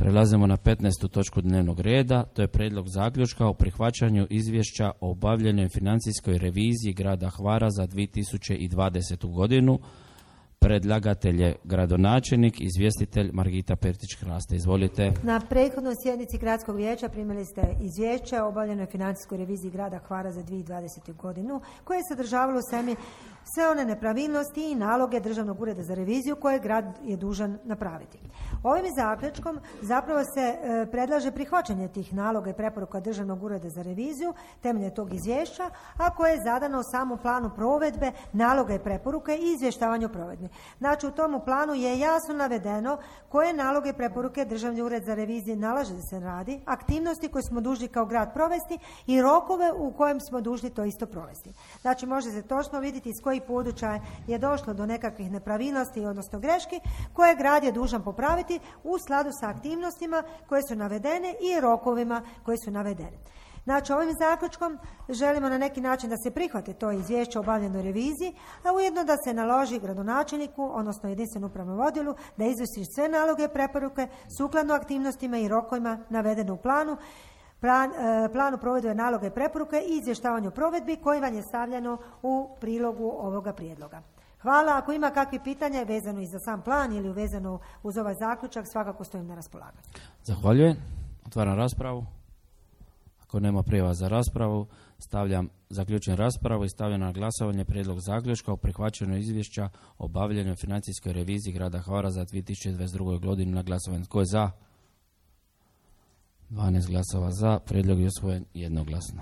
Prelazimo na 15. točku dnevnog reda, to je prijedlog zaključka o prihvaćanju izvješća o obavljenoj financijskoj reviziji grada Hvara za 2020. godinu. Predlagatelj je gradonačelnik, izvjestitelj Margita Pertić-Kraste. Izvolite. Na prethodnoj sjednici Gradskog vijeća primili ste izvješće o obavljenoj financijskoj reviziji grada Hvara za 2020. godinu koje je sadržavalo sve one nepravilnosti i naloge Državnog ureda za reviziju koje grad je dužan napraviti. Ovim zaključkom zapravo se predlaže prihvaćanje tih naloga i preporuka Državnog ureda za reviziju temeljem tog izvješća, a koje je zadano u samom planu provedbe naloga i preporuke i izvještavanja o provedbi. Znači, u tomu planu je jasno navedeno koje naloge i preporuke Državni ured za reviziju nalaže da se radi, aktivnosti koje smo dužni kao grad provesti i rokove u kojem smo dužni to isto provesti. Znači, može se točno vidjeti iz kojih područja je došlo do nekakvih nepravilnosti, odnosno greški, koje grad je dužan popraviti u skladu sa aktivnostima koje su navedene i rokovima koji su navedeni. Znači, ovim zaključkom želimo na neki način da se prihvate to izvješće o obavljenoj reviziji, a ujedno da se naloži gradonačelniku, odnosno jedinstvenom upravnom odjelu, da izvrši sve naloge i preporuke sukladno aktivnostima i rokovima navedene u planu provedbe naloga i preporuke i izvještavanja o provedbi koji vam je stavljeno u prilogu ovoga prijedloga. Hvala. Ako ima kakvih pitanja vezano i za sam plan ili vezano uz ovaj zaključak, svakako stojim na raspolaganju. Zahvaljujem. Otvaram raspravu. Ako nema prijava za raspravu, zaključujem raspravu i stavljam na glasovanje prijedlog zaključka o prihvaćanju izvješća o obavljenoj financijskoj reviziji grada Hvara za 2022. godinu na glasovanje. Tko je za? 12 glasova za. Prijedlog je usvojen jednoglasno.